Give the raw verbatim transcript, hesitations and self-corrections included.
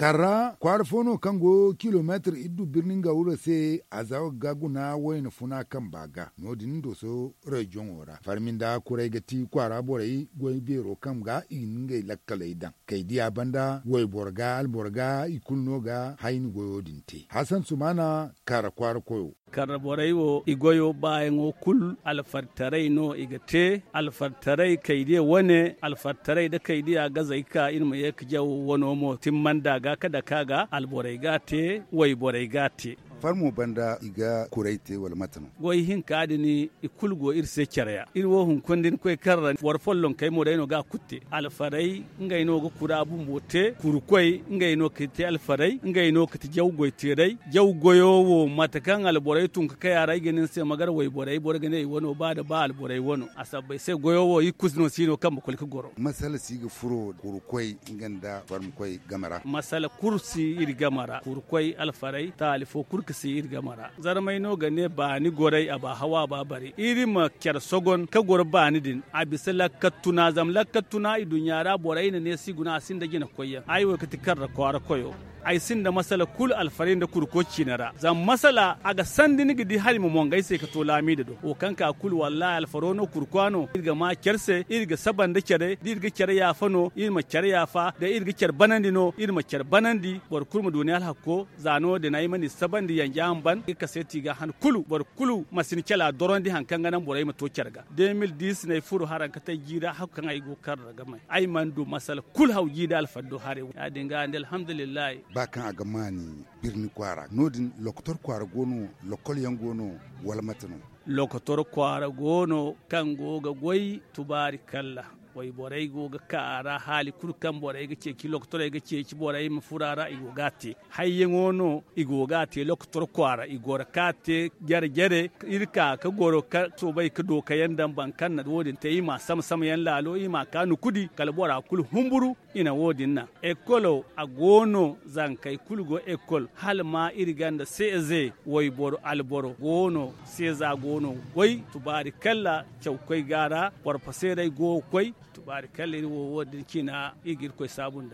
Tarra kwaara fo no kaŋ go kilomeetir iddu birni nga wuro se a za ga guna wayna funa kamba ga no- din dooso reziyoŋo ra farmi nda kuray ga ti kwaara borey goy beero kaŋ ga i ga ngey lakkaley daŋ kay diya banda wayboro ga alboro ga i kulu no ga hayni goyo din te hasan sumaana. Kaara kwaara koyo. Karra borey wo i goyo baayaŋo kulu alfartaray no i ga te. Alfartaray kaydiya wane alfartaray nda kaydiya gazey ka iri ma ye ga jaw wano mo timmanda ga ka dake a ga alborey ga a te. Wayborey ga a te. Farmo banda i ga kuray te wala mate no? Goy hinka din i kulu go iri se care ya iri wo hunkuna da ni koy karra boro follonkey mo day no ga a kulu te. Alfarey ngey no ga kura bumbo te kurkoy ngey no ga te alfarey ngey no ga ti jaw goy teeray. Jaw goyo wo mate kaŋ alborey tun ga kay a ra ay ga ne ni se ma gar wayborey boro ga ne i wano ba nda ba alborey wano a sabbay se goyo wo iri kulu no si no kaŋ ma koy ga goro. Masala si ga furo kurkoy nga nda farmikoy game ra. Masala kulu si iri game ra kurkoy alfarey taali fo kulu ga si iri game ra. Zarmay no ga ne baani goray a ba hawa a ba bari iri ma care sogon ka goro baani din a bisa lakkat tuna zama lakkat tuna i duɲɲa ra borey na ne si guna a sinda jina koyyaŋ ay wo ga ti karra kwaara koyo. Ay sinda masala kulu alfaray nda kurko ciine ra zama masala a ga sandi ni ga di hala i ma mongo ay se ga to laamiida do wo kaŋ ka kulu wallahi alfaro no kurko no iri ga ma care se iri ga saba nda care da iri ga care yaafa no iri ma care yaafa da iri ga care banandi no iri ma care banandi boro kulu ma du ni alhakko. Za no- din ay mana i sabandi yanja hamban ga kaseeti ga han kulu boro kulu ma si ni cala dorondi hari kaŋ ga naŋ borey ma to care ga de mil diis no ay furo haraŋ ga tay jiira hakku kaŋ ay go ga kar ra ga may ay mana du masala kulu haw jiida alfaddo haray. Ya- din ga nda alhamdulillahi. Ba kaŋ a ga maani birni kwaara no- din lokotor kwaara go no? Lokol yaŋ go no wala mate no? Lokotor kwaara go no kaŋ go ga goy tubaari kalla. Wayborey go ga ka a ra haali kulu kaŋ borey ga ceeci lokotorey ga ceeci borey ma furo a ra i go ga a te. Hayyaŋo no i go ga a te lokotor kwaara i goro ka a te jare jare. Iri ka ga goro ka soobay ga dookayaŋ daŋ boro kaŋ na wo- din te iri ma a sama sama yaŋ laalo iri ma a ka nukudi kala bora kulu humburu. I na wo- din naŋ ekolo a go no zankey kulu go ekol hala ma iri ganda se eze wayboro alboro go no se za go no ga goy tubaari kalla. Cawkoy ga a ra porfoseerey go ga koy tubaari kalla iri wo wo- din ciina iri ga irkoy saabu nd'a.